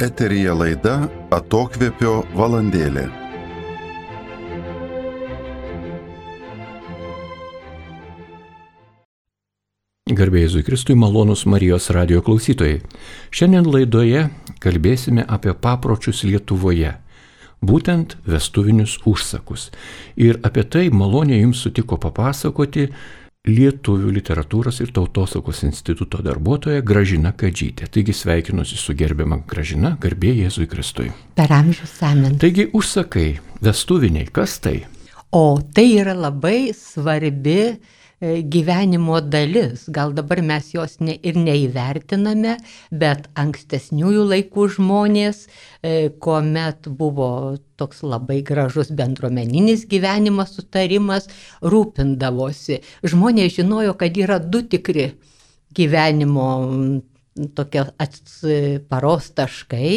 Eteryje laida Atokvėpio valandėlė. Garbė Jėzui Kristui, malonūs Marijos radijo klausytojai. Šiandien laidoje kalbėsime apie papročius Lietuvoje, būtent vestuvinius užsakus. Ir apie tai maloniai jums sutiko papasakoti Lietuvių literatūros ir tautosakos instituto darbuotoja Gražina Kadžytė. Taigi sveikinuosi su gerbiama Gražina, garbė Jėzui Kristui. Per amžius amen. Taigi užsakai, vestuviniai, kas tai? O tai yra labai svarbi gyvenimo dalis. Gal dabar mes jos ir neįvertiname, bet ankstesniųjų laikų žmonės, kuomet buvo toks labai gražus bendruomeninis gyvenimas, sutarimas, rūpindavosi. Žmonės žinojo, kad yra du tikri gyvenimo tokie paros taškai.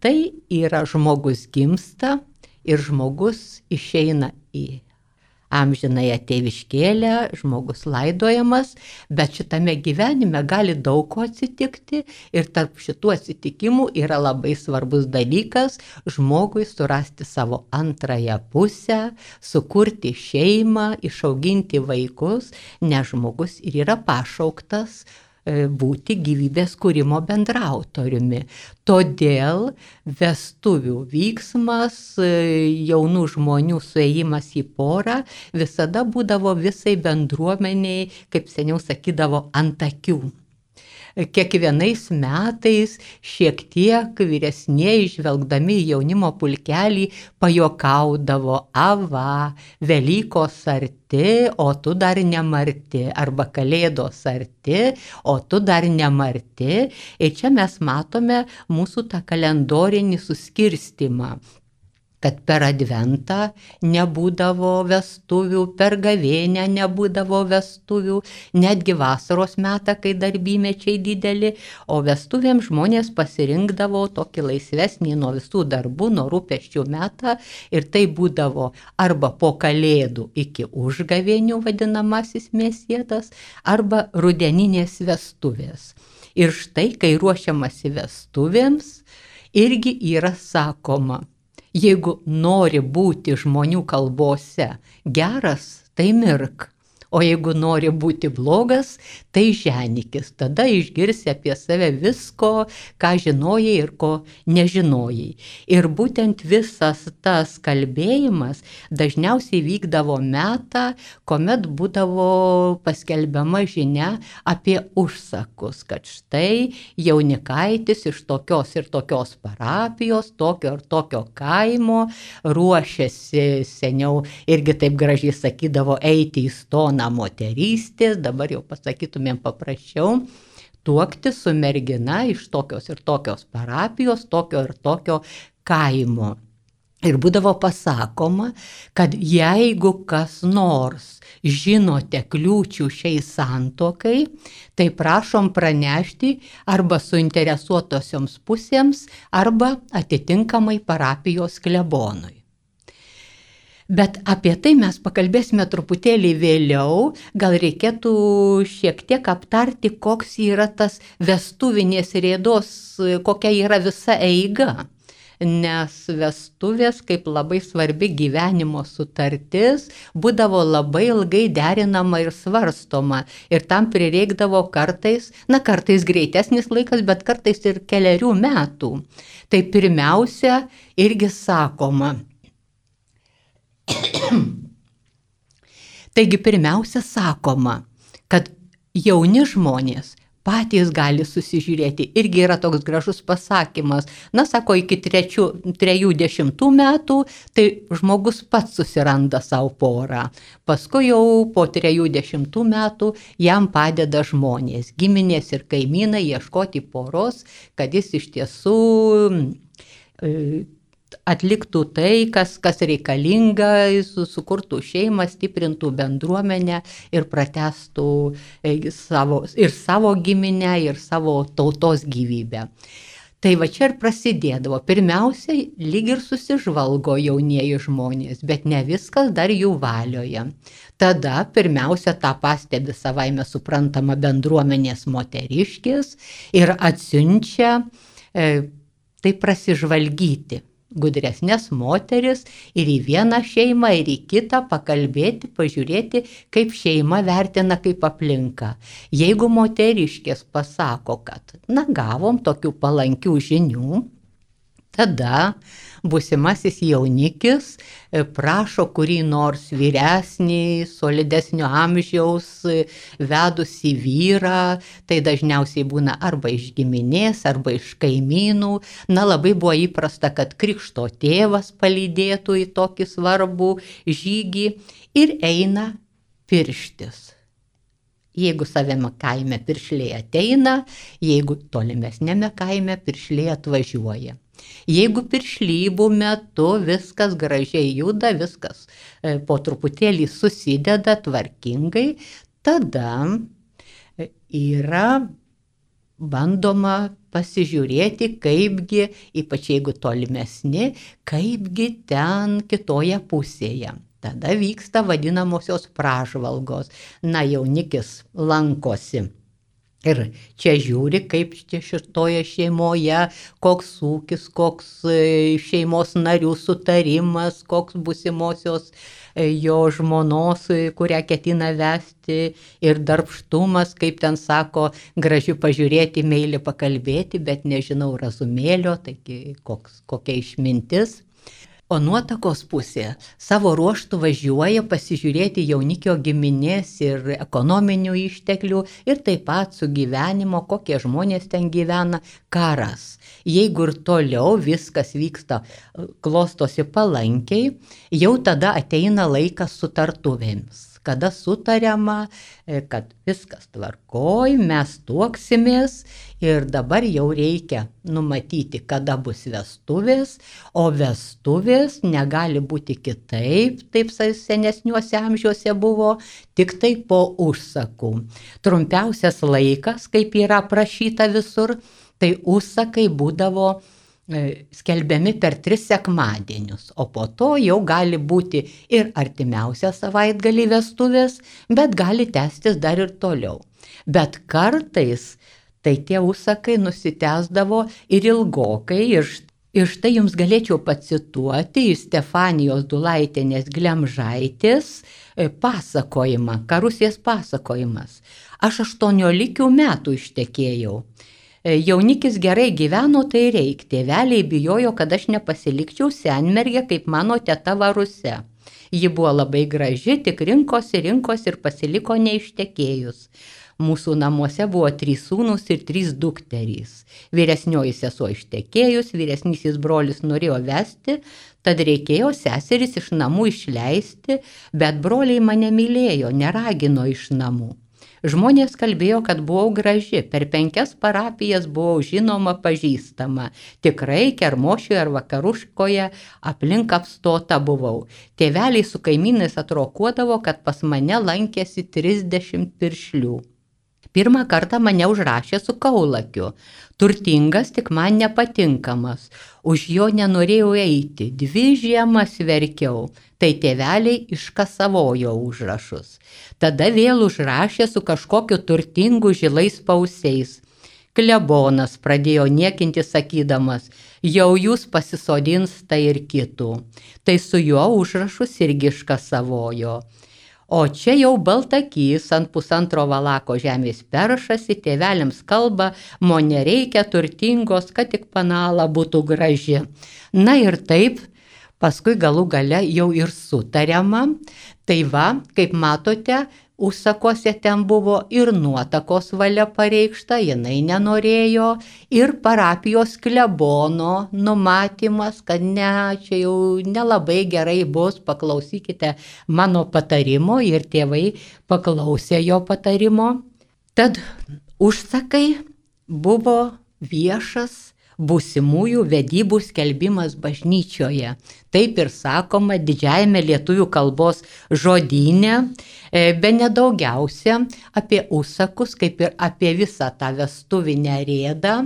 Tai yra žmogus gimsta ir žmogus išeina į amžinąją tėviškėlę, žmogus laidojamas, bet šitame gyvenime gali daug ko atsitikti ir tarp šitų atsitikimų yra labai svarbus dalykas žmogui surasti savo antrąją pusę, sukurti šeimą, išauginti vaikus, nes žmogus ir yra pašauktas būti gyvybės kūrimo bendraautoriumi. Todėl vestuvių vyksmas, jaunų žmonių suėjimas į porą visada būdavo visai bendruomeniai, kaip seniau sakydavo, ant akių. Kiekvienais metais šiek tiek vyresnieji, žvelgdami į jaunimo pulkelį, pajuokaudavo: ava, Velykos arti, o tu dar nemarti, arba Kalėdos arti, o tu dar nemarti. Ir čia mes matome mūsų tą kalendorinį suskirstimą, kad per Adventą nebūdavo vestuvių, per Gavėnią nebūdavo vestuvių, netgi vasaros metą, kai darbymečiai dideli, o vestuvėms žmonės pasirinkdavo tokį laisvesnį nuo visų darbų, nuo rūpesčių metą, ir tai būdavo arba po Kalėdų iki užgavėnių vadinamasis mėsėtas, arba rudeninės vestuvės. Ir štai, kai ruošiamasi vestuvėms, irgi yra sakoma: jeigu nori būti žmonių kalbose geras, tai mirk, o jeigu nori būti blogas, tai ženykis. Tada išgirsi apie save visko, ką žinojai ir ko nežinojai. Ir būtent visas tas kalbėjimas dažniausiai vykdavo metą, kuomet būdavo paskelbiama žinia apie užsakus, kad štai jaunikaitis iš tokios ir tokios parapijos, tokio ir tokio kaimo ruošiasi, seniau irgi taip gražiai sakydavo, eiti į stoną moterystės, dabar jau pasakytumėm paprasčiau, tuokti su mergina iš tokios ir tokios parapijos, tokio ir tokio kaimo. Ir būdavo pasakoma, kad jeigu kas nors žinote kliūčių šiai santuokai, tai prašom pranešti arba suinteresuotosioms pusėms, arba atitinkamai parapijos klebonui. Bet apie tai mes pakalbėsime truputėlį vėliau. Gal reikėtų šiek tiek aptarti, koks yra tas vestuvinės rėdos, kokia yra visa eiga. Nes vestuvės, kaip labai svarbi gyvenimo sutartis, būdavo labai ilgai derinama ir svarstoma. Ir tam prireikdavo kartais greitesnis laikas, bet kartais ir kelerių metų. Tai pirmiausia, irgi sakoma. Taigi pirmiausia sakoma, kad jauni žmonės patys gali susižiūrėti. Irgi yra toks gražus pasakymas. Na, sako, iki 30 metų, tai žmogus pats susiranda savo porą. Paskui jau po 30 metų jam padeda žmonės, giminės ir kaimynai ieškoti poros, kad jis iš tiesų atliktų tai, kas reikalinga, sukurtų šeimą, stiprintų bendruomenę ir pratęstų savo giminę ir savo tautos gyvybę. Tai va čia ir prasidėdavo. Pirmiausiai lyg ir susižvalgo jaunieji žmonės, bet ne viskas dar jų valioje. Tada pirmiausia tą pastebi savaime suprantama bendruomenės moteriškės ir atsiunčia tai prasižvalgyti gudresnės moteris ir į vieną šeimą, ir į kitą pakalbėti, pažiūrėti, kaip šeima vertina, kaip aplinka. Jeigu moteriškės pasako, kad, gavom tokių palankių žinių, tada būsimasis jaunikis prašo kurį nors vyresnį, solidesnio amžiaus vedusį vyrą, tai dažniausiai būna arba iš giminės, arba iš kaimynų. Labai buvo įprasta, kad krikšto tėvas palydėtų į tokį svarbų žygį ir eina pirštis. Jeigu savame kaime piršliai ateina, jeigu tolimesnėme kaime piršliai atvažiuoja. Jeigu piršlybų metu viskas gražiai juda, viskas po truputėlį susideda tvarkingai, tada yra bandoma pasižiūrėti, kaipgi, ypač jeigu tolimesni, kaipgi ten kitoje pusėje. Tada vyksta vadinamosios pražvalgos. Jaunikis lankosi. Ir čia žiūri, kaip šitoje šeimoje, koks ūkis, koks šeimos narių sutarimas, koks būsimosios jo žmonos, kurią ketina vesti, ir darbštumas, kaip ten sako, gražiai pažiūrėti, meiliai pakalbėti, bet nežinau razumėlio, taigi kokia išmintis. O nuotakos pusė savo ruoštų važiuoja pasižiūrėti jaunikio giminės ir ekonominių išteklių ir taip pat sugyvenimo, kokie žmonės ten gyvena, karas. Jeigu ir toliau viskas vyksta, klostosi palankiai, jau tada ateina laikas sutartuvėms, kada sutariama, kad viskas tvarkoj, mes tuoksimės ir dabar jau reikia numatyti, kada bus vestuvės, o vestuvės negali būti kitaip, taip senesniuose amžiuose buvo, tik tai po užsakų. Trumpiausias laikas, kaip yra aprašyta visur, tai užsakai būdavo skelbiami per 3 sekmadienius, o po to jau gali būti ir artimiausią savaitgalį vestuvės, bet gali tęstis dar ir toliau. Bet kartais tai tie užsakai nusitęsdavo ir ilgokai, ir štai jums galėčiau pacituoti iš Stefanijos Dulaitienės Glemžaitės pasakojimą, Karusės pasakojimas. Aš 18 metų ištekėjau. Jaunikis gerai gyveno, tai reik. Tėveliai bijojo, kad aš nepasilikčiau senmergę kaip mano teta Varuse. Ji buvo labai graži, tik rinkosi ir pasiliko neištekėjus. Mūsų namuose buvo 3 sūnūs ir 3 dukterys. Vyresnioji sesuo ištekėjus, vyresnysis brolis norėjo vesti, tad reikėjo seseris iš namų išleisti, bet broliai mane mylėjo, neragino iš namų. Žmonės kalbėjo, kad buvau graži, per 5 parapijas buvau žinoma, pažįstama. Tikrai Kermošioje ar Vakaruškoje aplink apstota buvau. Tėveliai su kaimynais atrokuodavo, kad pas mane lankėsi 30 piršlių. Pirmą kartą mane užrašė su kaulakiu. Turtingas, tik man nepatinkamas. Už jo nenorėjau eiti. 2 žiemas verkiau. Tai tėveliai iškasavojo užrašus. Tada vėl užrašė su kažkokiu turtingu žilais pausiais. Klebonas pradėjo niekinti sakydamas, jau jūs pasisodins tai ir kitų. Tai su juo užrašus irgi iškasavojo. O čia jau baltakys ant 1,5 valako žemės peršasi, tėveliams kalba, mo nereikia turtingos, kad tik panala būtų graži. Ir taip, paskui galų gale jau ir sutariama. Tai va, kaip matote, užsakuose ten buvo ir nuotakos valia pareikšta, jinai nenorėjo, ir parapijos klebono numatymas, kad ne, čia jau nelabai gerai bus, paklausykite mano patarimo, ir tėvai paklausė jo patarimo. Tad užsakai buvo viešas būsimųjų vedybų skelbimas bažnyčioje. Taip ir sakoma didžiajame lietuvių kalbos žodyne, bene daugiausia apie užsakus, kaip ir apie visą tą vestuvinę rėdą,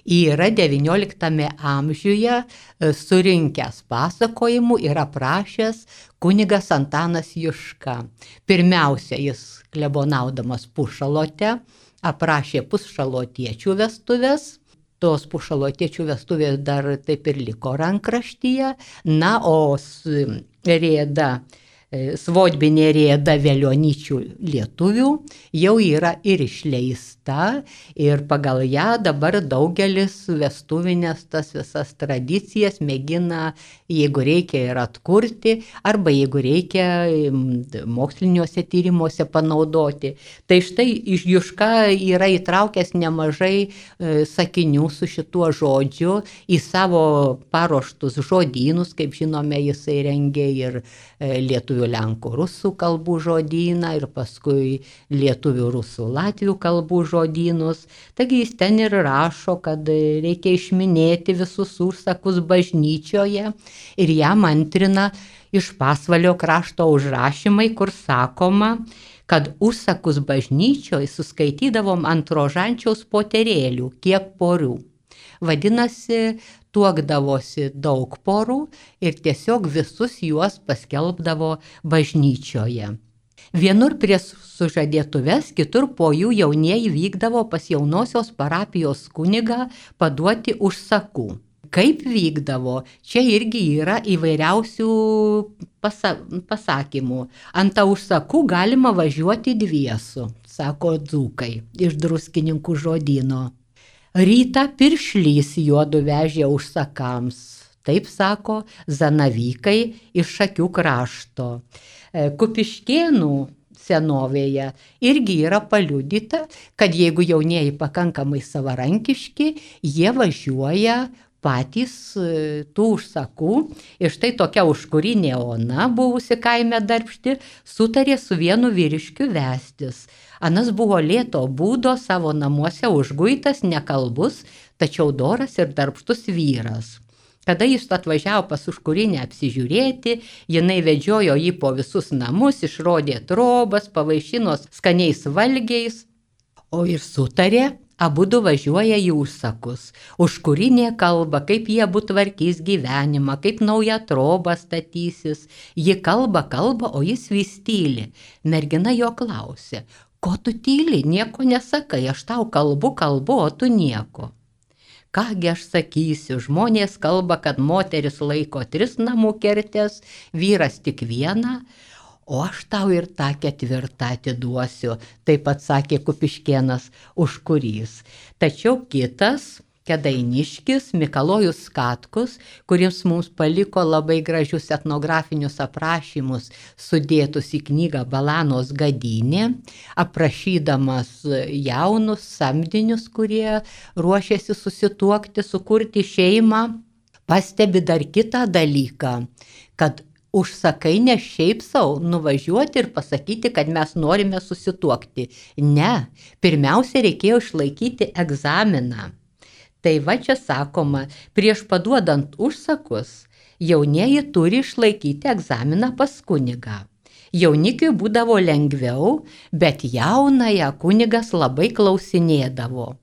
yra 19 amžiuje surinkęs pasakojimų ir aprašęs kunigas Antanas Juška. Pirmiausia, jis klebonaudamas Pušalote aprašė pušalotiečių vestuves. tos pušalotiečių vestuvės dar taip ir liko rankraštyje, na, o rėda, svodbinė rėda Veliuonyčių lietuvių jau yra ir išleista ir pagal ją dabar daugelis vestuvinės tas visas tradicijas mėgina, jeigu reikia, ir atkurti, arba jeigu reikia moksliniuose tyrimuose panaudoti. Tai štai Juška yra įtraukęs nemažai sakinių su šituo žodžiu į savo paruoštus žodynus, kaip žinome, jisai rengė ir lietuvių, lenkų, rusų kalbų žodyną ir paskui lietuvių, rusų, latvių kalbų žodynus. Taigi jis ten ir rašo, kad reikia išminėti visus užsakus bažnyčioje ir jam antrina iš Pasvalio krašto užrašymai, kur sakoma, kad užsakus bažnyčioje suskaitydavom ant rožančiaus poterėlių, kiek porių. Vadinasi, tuokdavosi daug porų ir tiesiog visus juos paskelbdavo bažnyčioje. Vienur prie sužadėtuves, kitur po jų jaunieji vykdavo pas jaunosios parapijos kunigą paduoti užsakų. Kaip vykdavo, čia irgi yra įvairiausių pasakymų. Ant užsakų galima važiuoti dviesų, sako dzūkai iš Druskininkų žodyno. Rytą piršlys juodu vežė užsakams, taip sako zanavykai iš Šakių krašto. Kupiškėnų senovėje irgi yra paliudyta, kad jeigu jaunieji pakankamai savarankiški, jie važiuoja patys tų užsakų. Ir štai tokia užkurinė Ona, buvusi kaime Darbšti, sutarė su vienu vyriškiu vestis. Anas buvo lėto būdo, savo namuose užguitas, nekalbus, tačiau doras ir darbštus vyras. Kada jis atvažiavo pas užkurinę apsižiūrėti, jinai vedžiojo jį po visus namus, išrodė trobas, pavaišino skaniais valgiais, o ir sutarė, abudu važiuoja į užsakus. Užkurinė kalba, kaip jie abu tvarkys gyvenimą, kaip naują trobą statysis. Ji kalba, o jis vis tyli. Mergina jo klausė, ko tu tyli, nieko nesakai, aš tau kalbu, o tu nieko. Kągi aš sakysiu, žmonės kalba, kad moteris laiko 3 namų kertes, vyras tik 1, o aš tau ir tą 4 atiduosiu, taip pat sakė Kupiškėnas užkurys. Tačiau kitas, Kėdainiškis, Mikalojus Katkus, kuris mums paliko labai gražius etnografinius aprašymus sudėtus į knygą Balanos gadynė, aprašydamas jaunus samdinius, kurie ruošiasi susituokti, sukurti šeimą, pastebi dar kitą dalyką, kad užsakai ne šiaip savo nuvažiuoti ir pasakyti, kad mes norime susituokti. Ne, pirmiausia reikėjo išlaikyti egzaminą. Tai va čia sakoma, prieš paduodant užsakus, jaunieji turi išlaikyti egzaminą pas kunigą. Jaunikiui būdavo lengviau, bet jaunąją kunigas labai klausinėdavo.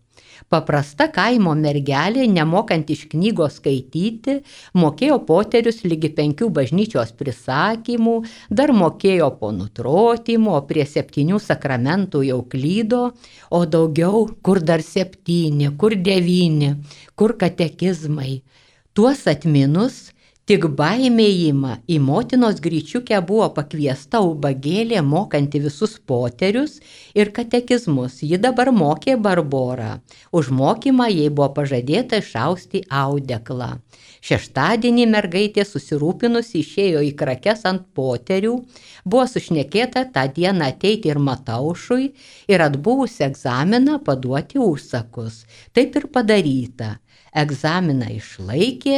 Paprasta kaimo mergelė, nemokant iš knygos skaityti, mokėjo poterius ligi 5 bažnyčios prisakymų, dar mokėjo po nutrotymų, o prie 7 sakramentų jau klydo, o daugiau, kur dar 7, kur 9, kur katekizmai. Tuos atminus, tik baimėjimą į motinos gryčiukę buvo pakviesta ubagėlė mokanti visus poterius ir katekizmus. Ji dabar mokė Barborą. Už mokymą jai buvo pažadėta išausti audeklą. Šeštadienį mergaitė susirūpinusi išėjo į krakes ant poterių, buvo sušnekėta tą dieną ateiti ir Mataušui ir atbuvusi egzaminą paduoti užsakus. Taip ir padaryta. Egzaminą išlaikė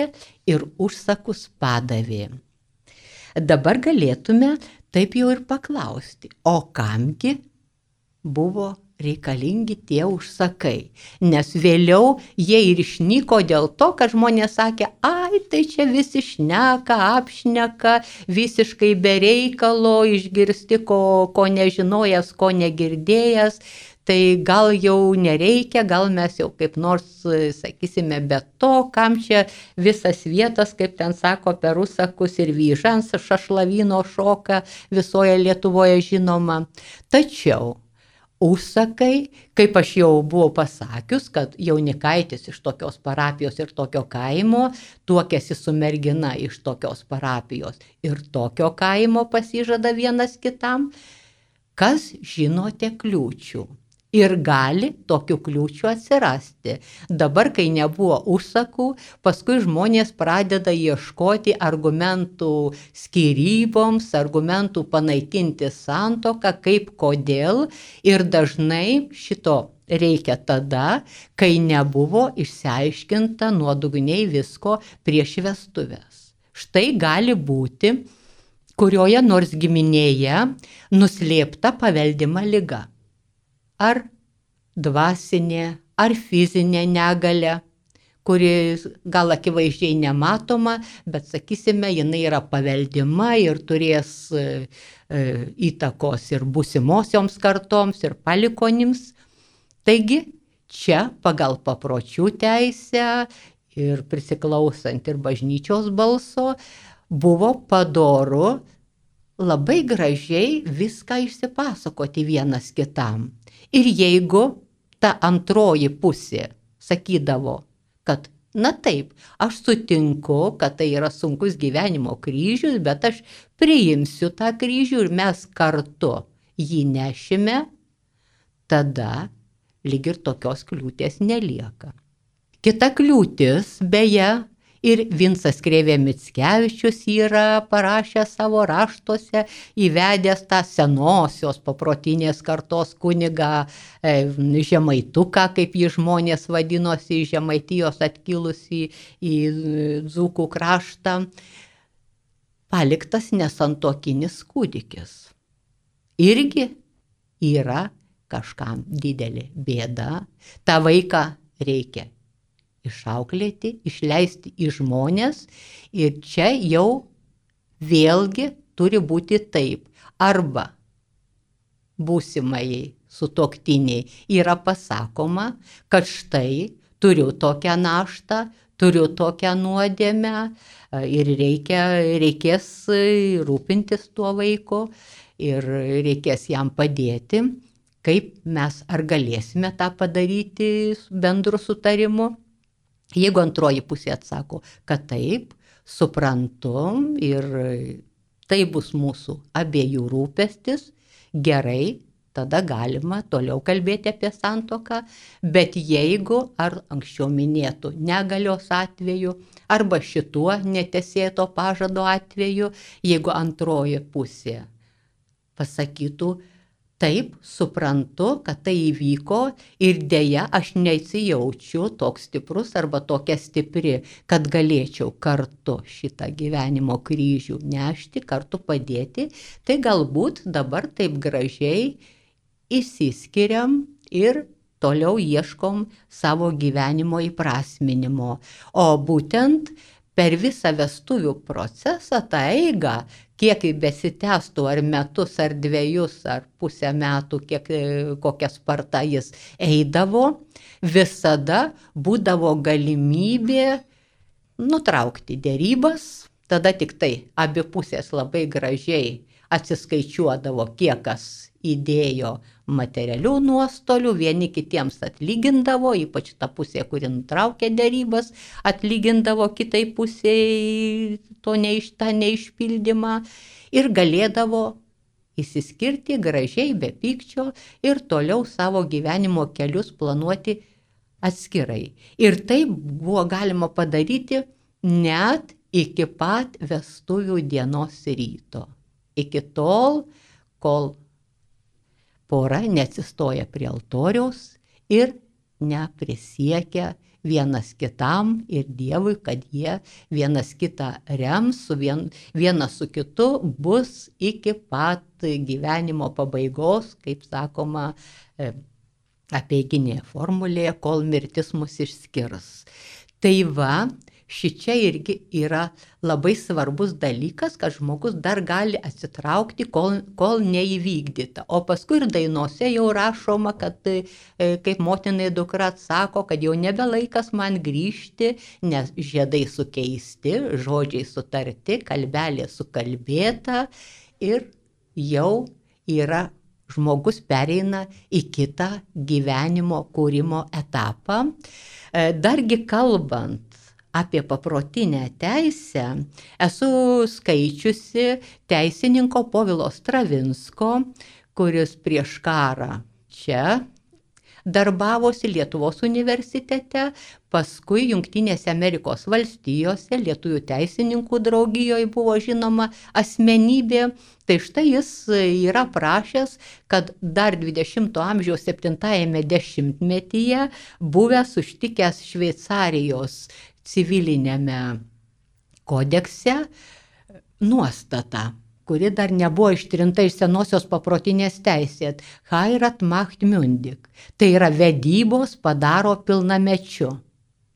ir užsakus padavė. Dabar galėtume taip jau ir paklausti, o kamgi buvo reikalingi tie užsakai, nes vėliau jie ir išnyko dėl to, kad žmonės sakė, ai, tai čia visi šneka, apšneka, visiškai be reikalo, išgirsti, ko nežinojęs, ko negirdėjęs. Tai gal jau nereikia, gal mes jau kaip nors, sakysime, be to, kam čia visas vietas, kaip ten sako, per užsakus ir vyžans šašlavino šoka visoje Lietuvoje žinoma. Tačiau užsakai, kaip aš jau buvau pasakius, kad jaunikaitis iš tokios parapijos ir tokio kaimo tuokėsi su mergina iš tokios parapijos ir tokio kaimo pasižada vienas kitam, kas žinote kliūčių. Ir gali tokių kliūčių atsirasti. Dabar, kai nebuvo užsakų, paskui žmonės pradeda ieškoti argumentų skyryboms, argumentų panaikinti santuoką, kaip kodėl. Ir dažnai šito reikia tada, kai nebuvo išsiaiškinta nuodugniai visko prieš vestuves. Štai gali būti kurioje nors giminėje nuslėpta paveldima liga. Ar dvasinė, ar fizinė negalia, kuri gal akivaizdžiai nematoma, bet, sakysime, jinai yra paveldima ir turės įtakos ir būsimosioms kartoms, ir palikonims. Taigi, čia pagal papročių teisę ir prisiklausant ir bažnyčios balso, buvo padoru labai gražiai viską išsipasakoti vienas kitam. Ir jeigu ta antroji pusė sakydavo, kad na taip, aš sutinku, kad tai yra sunkus gyvenimo kryžius, bet aš priimsiu tą kryžių ir mes kartu jį nešime, tada lyg ir tokios kliūties nelieka. Kita kliūtis, beje, ir Vincas Krėvė Mickevičius yra parašęs savo raštuose, įvedęs tą senosios paprotinės kartos kunigą Žemaituką, kaip jį žmonės vadinosi, iš Žemaitijos atkilusi į Dzūkų kraštą, paliktas nesantuokinis kūdikis. Irgi yra kažkam didelė bėda. Ta vaiką reikia išauklėti, išleisti į žmonės ir čia jau vėlgi turi būti taip. Arba būsimai sutuoktiniai yra pasakoma, kad štai turiu tokią naštą, turiu tokią nuodėmę ir reikės rūpintis tuo vaiku ir reikės jam padėti. Kaip mes ar galėsime tą padaryti bendru sutarimu? Jeigu antroji pusė atsako, kad taip, suprantu ir tai bus mūsų abiejų rūpestis, gerai, tada galima toliau kalbėti apie santuoką, bet jeigu ar anksčiau minėtų negalios atveju, arba šituo netesėto pažado atveju, jeigu antroji pusė pasakytų, taip, suprantu, kad tai įvyko ir dėja aš nesijaučiu toks stiprus arba tokia stipri, kad galėčiau kartu šitą gyvenimo kryžių nešti, kartu padėti, tai galbūt dabar taip gražiai išsiskiriam ir toliau ieškom savo gyvenimo įprasminimo. O būtent per visą vestuvių procesą, tą eigą, kiek besitęstų ar metus, ar dvejus, ar pusę metų, kokia sparta jis eidavo, visada būdavo galimybė nutraukti derybas, tada tik tai abi pusės labai gražiai atsiskaičiuodavo, kiek kas įdėjo materialių nuostolių, vieni kitiems atlygindavo, ypač ta pusė, kuri nutraukė derybas, atlygindavo kitai pusėj tą neišpildymą ir galėdavo išsiskirti gražiai, be pykčio ir toliau savo gyvenimo kelius planuoti atskirai. Ir tai buvo galima padaryti net iki pat vestuvių dienos ryto. Iki tol, kol pora neatsistoja prie altoriaus ir neprisiekia vienas kitam ir Dievui, kad jie vienas kitą rems, vienas su kitu bus iki pat gyvenimo pabaigos, kaip sakoma, apeiginėje formulėje, kol mirtis mus išskirs. Tai va, šičia irgi yra labai svarbus dalykas, kad žmogus dar gali atsitraukti, kol neįvykdyta. O paskui ir dainose jau rašoma, kad kaip motinai dukra atsako, kad jau nebe laikas man grįžti, nes žiedai sukeisti, žodžiai sutarti, kalbelė sukalbėta ir jau yra žmogus pereina į kitą gyvenimo kūrimo etapą. Dargi kalbant apie paprotinę teisę, esu skaičiusi teisininko Povilo Stravinsko, kuris prieš karą čia darbavosi Lietuvos universitete, paskui Jungtinėse Amerikos valstijose, Lietuvių teisininkų draugijoje buvo žinoma asmenybė. Tai štai jis yra prašęs, kad dar 20-ojo amžiaus 7-ajame dešimtmetyje buvęs užtikęs Šveicarijos civilinėme kodekse nuostata, kuri dar nebuvo ištrinta iš senosios paprotinės teisės, Heirat macht mündig. Tai yra vedybos padaro pilnamečiu.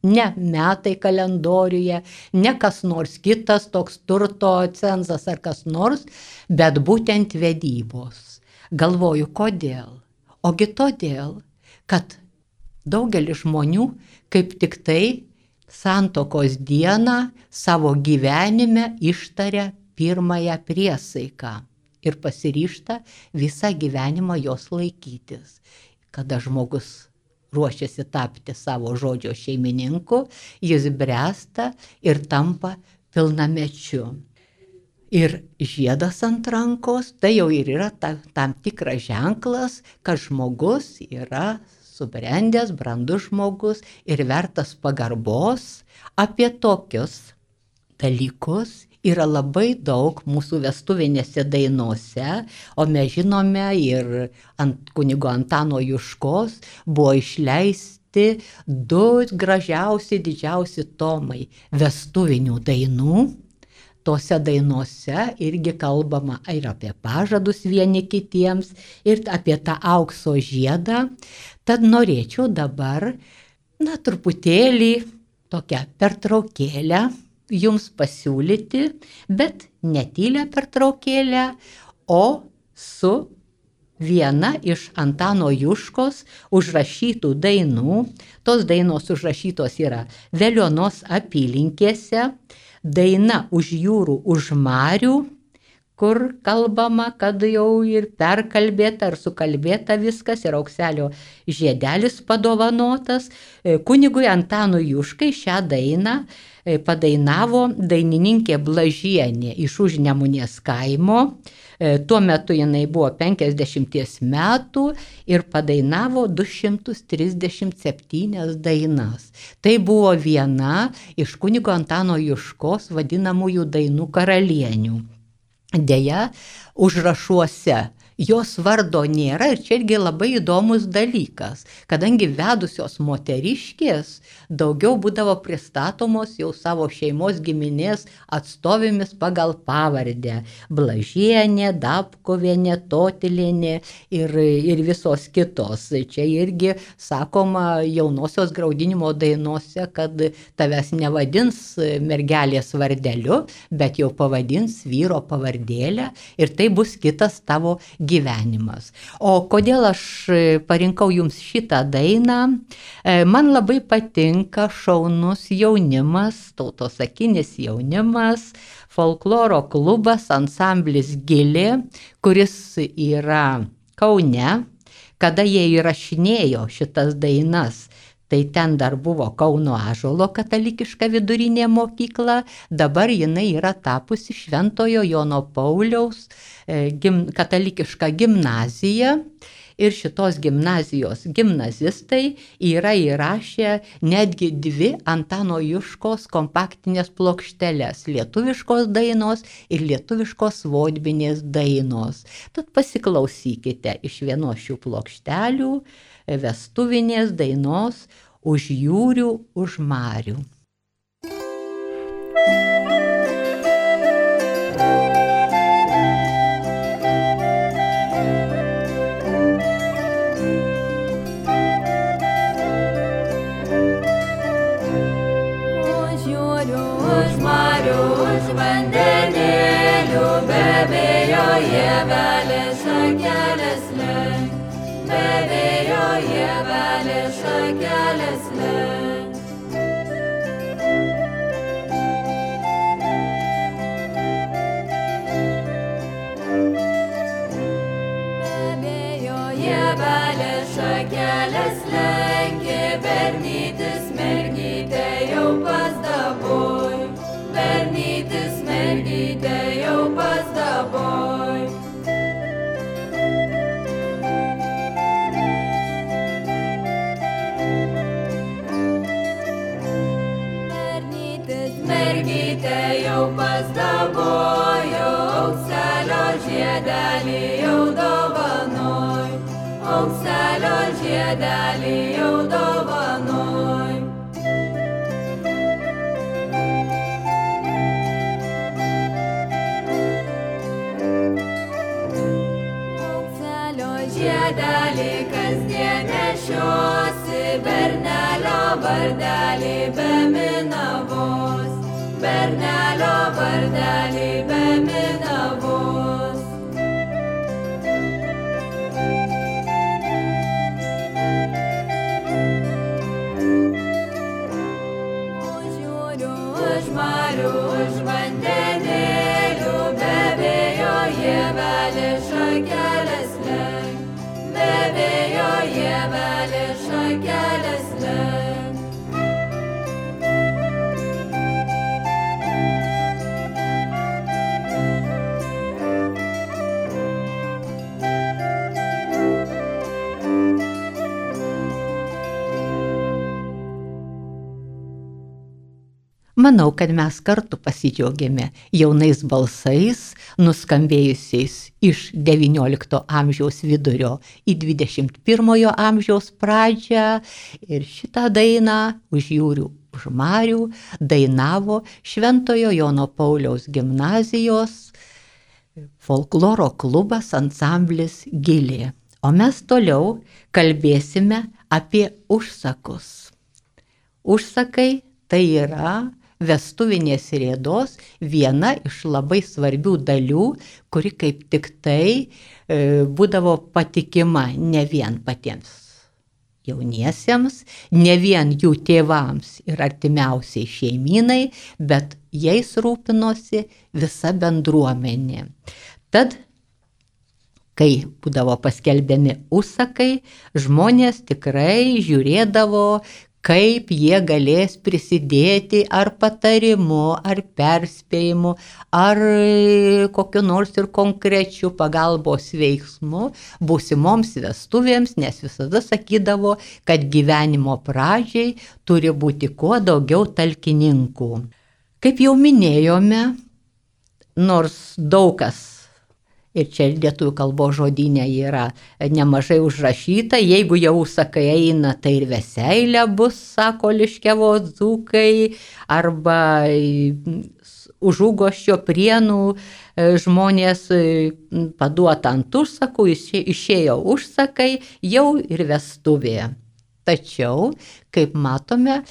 Ne metai kalendoriuje, ne kas nors kitas, toks turto cenzas ar kas nors, bet būtent vedybos. Galvoju, kodėl? Ogi todėl, kad daugelis žmonių kaip tik tai santuokos dieną savo gyvenime ištaria pirmąją priesaiką ir pasiryžta visą gyvenimą jos laikytis. Kada žmogus ruošiasi tapti savo žodžio šeimininku, jis bręsta ir tampa pilnamečiu. Ir žiedas ant rankos, tai jau ir yra tam tikras ženklas, kad žmogus yra subrendęs, brandus žmogus ir vertas pagarbos. Apie tokius dalykus yra labai daug mūsų vestuvinėse dainose, o mes žinome ir ant kunigo Antano Juškos buvo išleisti 2 gražiausi, didžiausi tomai vestuvinių dainų. Tose dainose irgi kalbama ir apie pažadus vieni kitiems, ir apie tą aukso žiedą. Tad norėčiau dabar, truputėlį tokią pertraukėlę jums pasiūlyti, bet ne tylią pertraukėlę, o su viena iš Antano Juškos užrašytų dainų. Tos dainos užrašytos yra Veliuonos apylinkėse, daina Už jūrų, už marių, kur kalbama, kad jau ir perkalbėta ar sukalbėta viskas, ir aukselio žiedelis padovanotas. Kunigui Antanui Juškai šią dainą padainavo dainininkė Blažienė iš Užnemunės kaimo. Tuo metu jinai buvo 50 metų ir padainavo 237 dainas. Tai buvo viena iš kunigo Antano Juškos vadinamųjų dainų karalienių. Deja, užrašuose jos vardo nėra, ir čia irgi labai įdomus dalykas, kadangi vedusios moteriškės daugiau būdavo pristatomos jau savo šeimos giminės atstovėmis pagal pavardę. Blažienė, Dabkovienė, Totilienė ir visos kitos. Čia irgi sakoma jaunosios graudinimo dainose, kad tavęs nevadins mergelės vardeliu, bet jau pavadins vyro pavardėlę, ir tai bus kitas tavo gyvenimas. O kodėl aš parinkau jums šitą dainą? Man labai patinka šaunus jaunimas, tautosakinis jaunimas, folkloro klubas, ansamblis Gilė, kuris yra Kaune. Kada jie įrašinėjo šitas dainas, tai ten dar buvo Kauno Ąžuolo katalikiška vidurinė mokykla, dabar jinai yra tapusi Šventojo Jono Pauliaus katalikiška gimnazija, ir šitos gimnazijos gimnazistai yra įrašę netgi 2 Antano Juškos kompaktinės plokšteles, lietuviškos dainos ir lietuviškos vodbinės dainos. Tad pasiklausykite iš vienos šių plokštelių vestuvinės dainos Už jūrių, už marių. Už jūrių, už marių, už vandenėlių, be vėjo ievelės šakelės lenk. Be vėjo ievelės šakelės lenk. Be jievelė šakelės lenkė, bernytis mergytė jau pas daboj, bernytis mergytė jau pas daboj. Bernytis mergytė jau pas daboj, aukselio žiedelį jau dovanoj, aukselio žiedelį jau dovanoj. Aukselio žiedelį kasdien nešiosi, bernelio vardelį be minavos, bernelio vardelį be minavos. Žiūriu už marių, už vandenėlių, be vėjo jievelė šakelės lenk, be vėjo jievelė šakelės lenk. Manau, kad mes kartu pasidžiaugėme jaunais balsais, nuskambėjusiais iš XIX amžiaus vidurio į XXI amžiaus pradžią. Ir šitą dainą Užjūrių už marių dainavo Šventojo Jono Pauliaus gimnazijos folkloro klubas ansamblis Gilė. O mes toliau kalbėsime apie užsakus. Užsakai tai yra vestuvinės rėdos viena iš labai svarbių dalių, kuri kaip tik tai būdavo patikima ne vien patiems jauniesiems, ne vien jų tėvams ir artimiausiai šeimynai, bet jais rūpinosi visa bendruomenė. Tad, kai būdavo paskelbiami užsakai, žmonės tikrai žiūrėdavo, kaip jie galės prisidėti ar patarimu, ar perspėjimu, ar kokiu nors ir konkrečiu pagalbos veiksmu būsimoms vestuvėms, nes visada sakydavo, kad gyvenimo pradžiai turi būti kuo daugiau talkininkų. Kaip jau minėjome, nors daug kas, ir čia lietuvių kalbos žodyne yra nemažai užrašyta, jeigu jau užsakai eina, tai ir veseilė bus, sako Liškiavos dzūkai, arba Užugoščio Prienų žmonės paduota ant užsakų, išėjo užsakai, jau ir vestuvė. Tačiau, kaip matome,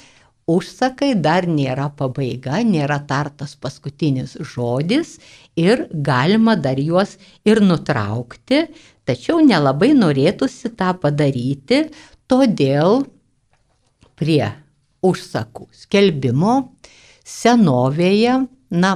užsakai dar nėra pabaiga, nėra tartas paskutinis žodis ir galima dar juos ir nutraukti, tačiau nelabai norėtųsi tą padaryti, todėl prie užsakų skelbimo senovėje,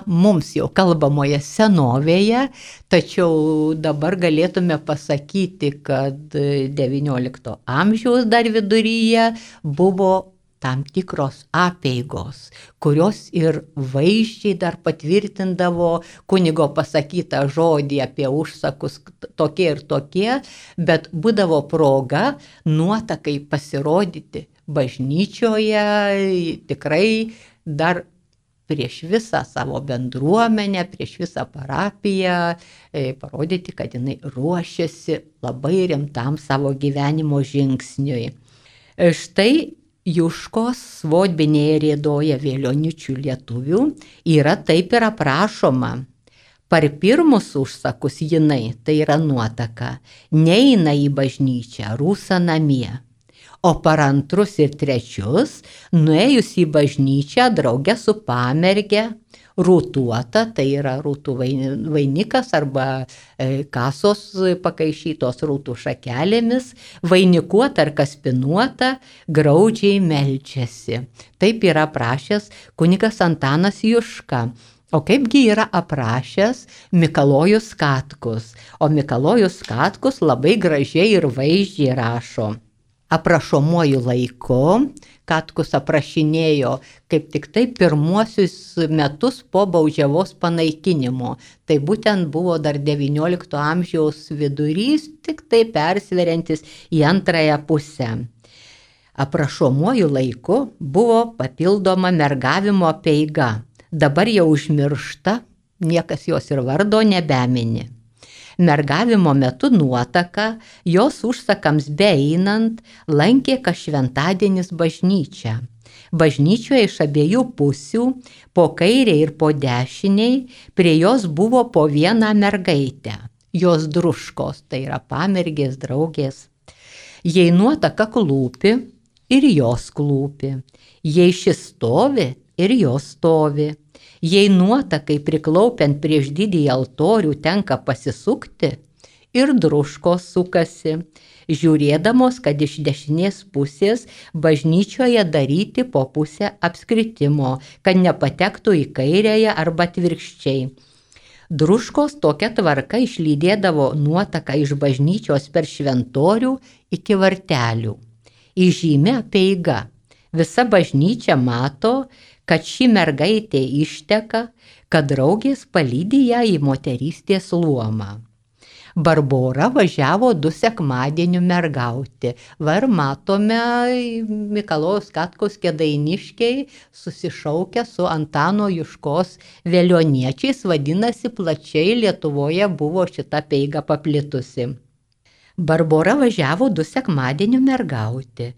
mums jau kalbamoje senovėje, tačiau dabar galėtume pasakyti, kad XIX amžiaus dar viduryje buvo tam tikros apeigos, kurios ir vaizdžiai dar patvirtindavo kunigo pasakytą žodį apie užsakus tokie ir tokie, bet būdavo proga nuotakai pasirodyti bažnyčioje, tikrai dar prieš visą savo bendruomenę, prieš visą parapiją, parodyti, kad jinai ruošiasi labai rimtam savo gyvenimo žingsniui. Štai Juškos Svodbinėje rėdoje Vėlioničių lietuvių yra taip ir aprašoma. Par pirmus užsakus jinai, tai yra nuotaka, neina į bažnyčią, rūsa namie. O par antrus ir trečius, nuėjus į bažnyčią drauge su pamerge, rūtuota, tai yra rūtų vainikas arba kasos pakaišytos rūtų šakelėmis, vainikuota ar kaspinuota, graudžiai meldžiasi. Taip yra prašęs kunigas Antanas Juška. O kaipgi yra aprašęs Mikalojus Katkus. O Mikalojus Katkus labai gražiai ir vaizdžiai rašo. Aprašomuoju laiku Katkus aprašinėjo kaip tik tai pirmuosius metus po baudžiavos panaikinimo. Tai būtent buvo dar XIX amžiaus vidurys, tik tai persveriantis į antrąją pusę. Aprašomuoju laiku buvo papildoma mergavimo apeiga. Dabar jau užmiršta, niekas jos ir vardo nebemini. Mergavimo metu nuotaka, jos užsakams beeinant, lankė kas šventadienis bažnyčią. Bažnyčioje iš abiejų pusių, po kairiai ir po dešiniai, prie jos buvo po vieną mergaitę. Jos druškos, tai yra pamergės, draugės. Jei nuotaka klūpi, ir jos klūpi. Jei šis stovi, ir jos stovi. Jei nuotakai priklaupiant prieš didįjį altorių tenka pasisukti, ir druškos sukasi, žiūrėdamos, kad iš dešinės pusės bažnyčioje daryti po pusę apskritimo, kad nepatektų į kairėje arba atvirkščiai. Druškos tokia tvarka išlydėdavo nuotaką iš bažnyčios per šventorių iki vartelių. Įžymi apeiga. Visa bažnyčia mato, kad ši mergaitė išteka, kad draugės palydi ją į moterystės luomą. Barbora važiavo 2 sekmadienių mergauti. Va ir matome Mikalojaus Katkaus kėdainiškiai susišaukę su Antano Juškos vėlioniečiais, vadinasi, plačiai Lietuvoje buvo šita apeiga paplitusi. Barbora važiavo 2 sekmadienių mergauti.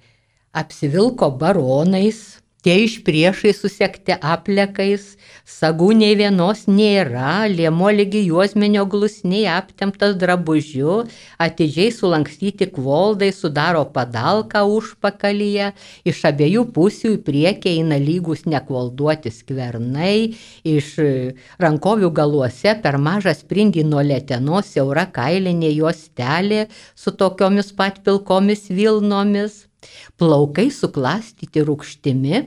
Apsivilko baronais, tie iš priešai susekti aplekais, sagų nei vienos nėra, liemuo lygi juosmenio glusniai aptemptas drabužiu, atidžiai sulankstyti kvoldai sudaro padalką užpakalyje, iš abiejų pusių į priekį eina lygus nekvolduoti skvernai, iš rankovių galuose per mažą sprindį nuo letenos siaura kailinė juostelė su tokiomis pat pilkomis vilnomis. Plaukai suklastyti rūgštimi,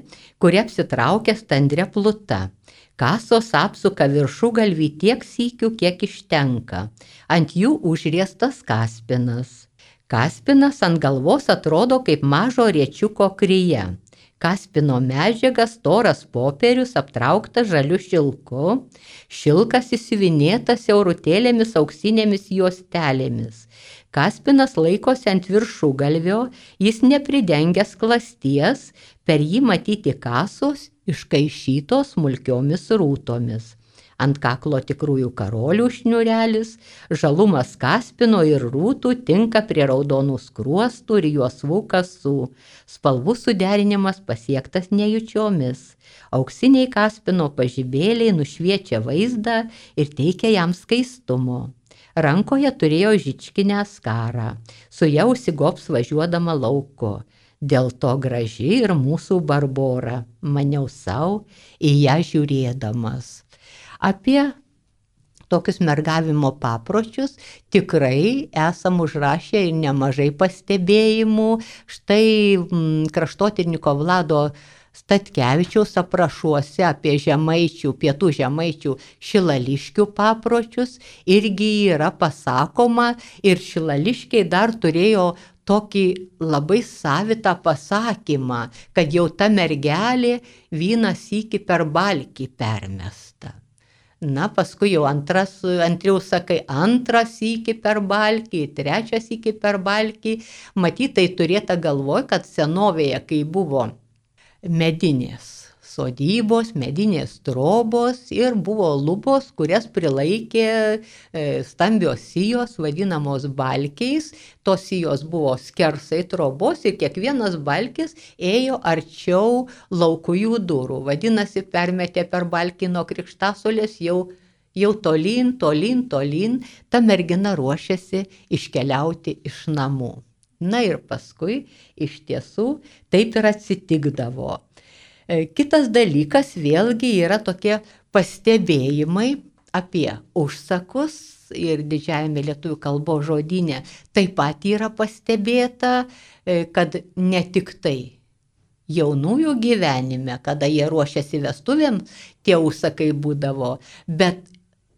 kuri apsitraukia standria pluta. Kasos apsuka viršugalvį tiek sykių, kiek ištenka. Ant jų užriestas kaspinas. Kaspinas ant galvos atrodo kaip mažo riečiuko kryje. Kaspino medžiaga storas popierius aptrauktas žaliu šilku. Šilkas įsiuvinėtas siaurutėlėmis auksinėmis juostelėmis. Kaspinas laikosi ant viršugalvio, jis nepridengęs klasties, per jį matyti kasos iškaišytos smulkiomis rūtomis. Ant kaklo tikrųjų karolių šniurelis, žalumas kaspino ir rūtų tinka prie raudonų skruostų ir juosvų kasų. Spalvų suderinimas pasiektas nejučiomis. Auksiniai kaspino pažibėliai nušviečia vaizdą ir teikia jam skaistumo. Rankoje turėjo žičkinę skarą, su ja užsigobs važiuodama lauko. Dėl to graži ir mūsų Barbora, maniau sau, į ją žiūrėdamas. Apie tokius mergavimo papročius tikrai esam užrašę ir nemažai pastebėjimų. Štai kraštotyrininkų Vlado Statkevičiaus aprašuose apie žemaičių, pietų žemaičių šilališkių papročius irgi yra pasakoma, ir šilališkiai dar turėjo tokį labai savitą pasakymą, kad jau ta mergelė vieną sykį per balkį permesta. Na, paskui jau antriau sakai, antrą sykį per balkį, trečią sykį per balkį. Matytai turėta galvoj, kad senovėje, kai buvo medinės sodybos, medinės trobos ir buvo lubos, kurias prilaikė stambios sijos, vadinamos balkiais. Tos sijos buvo skersai trobos ir kiekvienas balkis ėjo arčiau laukujų durų. Vadinasi, permetė per balkį nuo krikštasolės jau tolyn, ta mergina ruošiasi iškeliauti iš namų. Na ir paskui iš tiesų taip ir atsitikdavo. Kitas dalykas vėlgi yra tokie pastebėjimai apie užsakus ir didžiajame lietuvių kalbos žodyne taip pat yra pastebėta, kad ne tik tai jaunųjų gyvenime, kada jie ruošiasi vestuvėm, tie užsakai būdavo, bet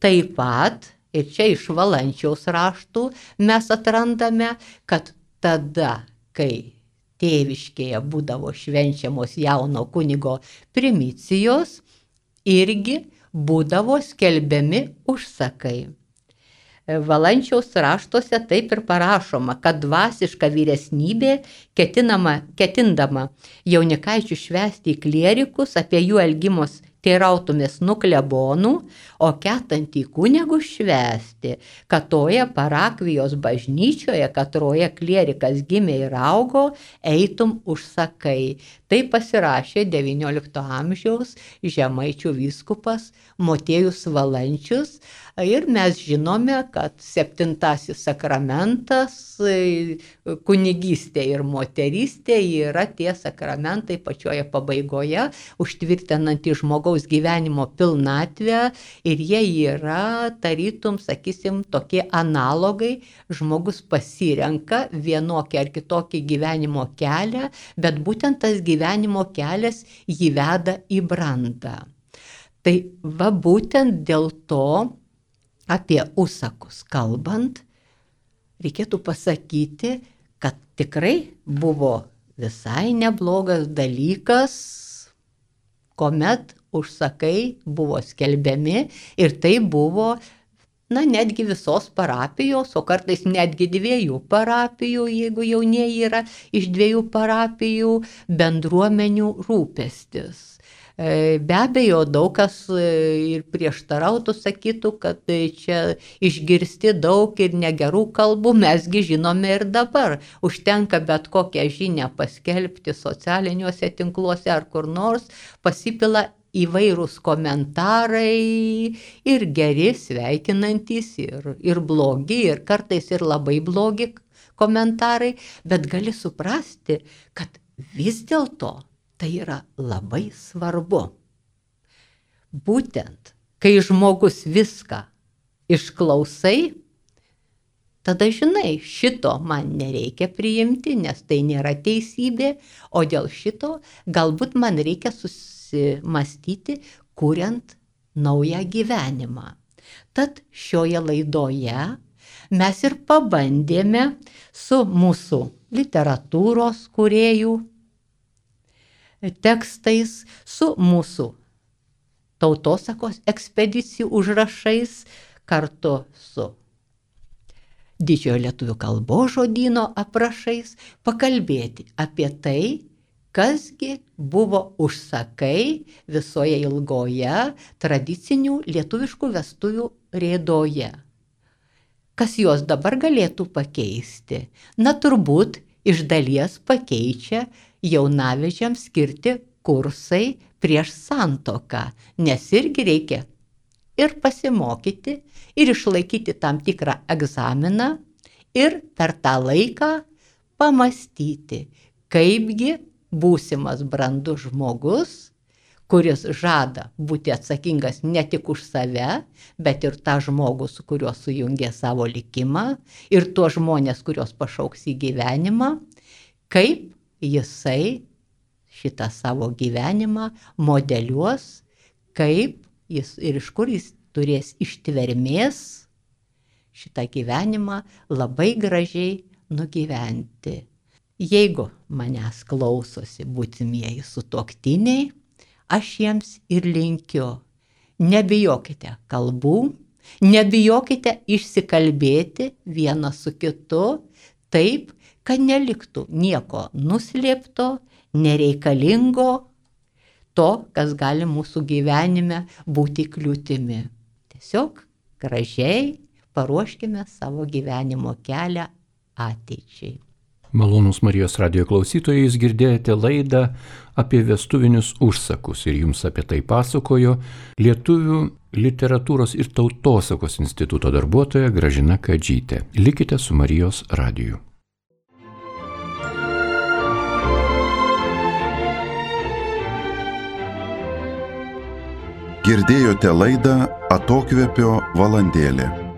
taip pat, ir čia iš Valančiaus raštų mes atrandame, kad tada, kai tėviškėje būdavo švenčiamos jauno kunigo primicijos, irgi būdavo skelbiami užsakai. Valančiaus raštuose taip ir parašoma, kad dvasiška vyresnybė ketindama jaunikaičių švęsti į klierikus, apie jų elgimus teirautumės nu klebonų, o ketantį kunigų švęsti, kad toje parakvijos bažnyčioje, katroje klierikas gimė ir augo, eitum užsakai. Tai pasirašė XIX amžiaus Žemaičių vyskupas Motiejus Valančius ir mes žinome, kad 7 sakramentas, kunigystė ir moterystė yra tie sakramentai pačioje pabaigoje, užtvirtinantys žmogaus gyvenimo pilnatvę ir jie yra, tarytum, sakysim, tokie analogai, žmogus pasirenka vienokį ar kitokį gyvenimo kelią, bet būtent tas gyvenimo kelias jį veda į brandą. Tai va būtent dėl to apie užsakus kalbant, reikėtų pasakyti, kad tikrai buvo visai neblogas dalykas, kuomet užsakai buvo skelbiami ir tai buvo, netgi visos parapijos, o kartais netgi 2 parapijų, jeigu jaunieji yra iš 2 parapijų, bendruomenių rūpestis. Be abejo, daug kas ir prieštarautų, sakytų, kad čia išgirsti daug ir negerų kalbų, mesgi žinome ir dabar. Užtenka bet kokią žinią paskelbti socialiniuose tinkluose ar kur nors, pasipila įvairūs komentarai ir geri, sveikinantys, ir blogi, ir kartais ir labai blogi komentarai, bet gali suprasti, kad vis dėlto tai yra labai svarbu. Būtent, kai žmogus viską išklausai, tada žinai, šito man nereikia priimti, nes tai nėra teisybė, o dėl šito galbūt man reikia susimastyti, kuriant naują gyvenimą. Tad šioje laidoje mes ir pabandėme su mūsų literatūros kūrėjų tekstais, su mūsų tautosakos ekspedicijų užrašais, kartu su Didžiojo lietuvių kalbos žodyno aprašais, pakalbėti apie tai, kasgi buvo užsakai visoje ilgoje tradicinių lietuviškų vestuvių rėdoje. Kas juos dabar galėtų pakeisti? Turbūt iš dalies pakeičia jaunavedžiams skirti kursai prieš santuoką, nes irgi reikia ir pasimokyti, ir išlaikyti tam tikrą egzaminą, ir per tą laiką pamastyti, kaipgi būsimas brandus žmogus, kuris žada būti atsakingas ne tik už save, bet ir tą žmogų, su kuriuo sujungė savo likimą, ir tuos žmonės, kuriuos pašauks į gyvenimą, kaip jisai šitą savo gyvenimą modeliuos, kaip jis ir iš kur jis turės ištvermės šitą gyvenimą labai gražiai nugyventi. Jeigu manęs klausosi būsimieji sutuoktiniai, aš jiems ir linkiu, nebijokite kalbų, nebijokite išsikalbėti vienas su kitu taip, kad neliktų nieko nuslėpto, nereikalingo, to, kas gali mūsų gyvenime būti kliūtimi. Tiesiog gražiai paruoškime savo gyvenimo kelią ateičiai. Malonūs Marijos radijo klausytojai, jūs girdėjote laidą apie vestuvinius užsakus ir jums apie tai pasakojo Lietuvių literatūros ir tautosakos instituto darbuotoja Gražina Kadžytė. Likite su Marijos radiju. Girdėjote laidą Atokvėpio valandėlė.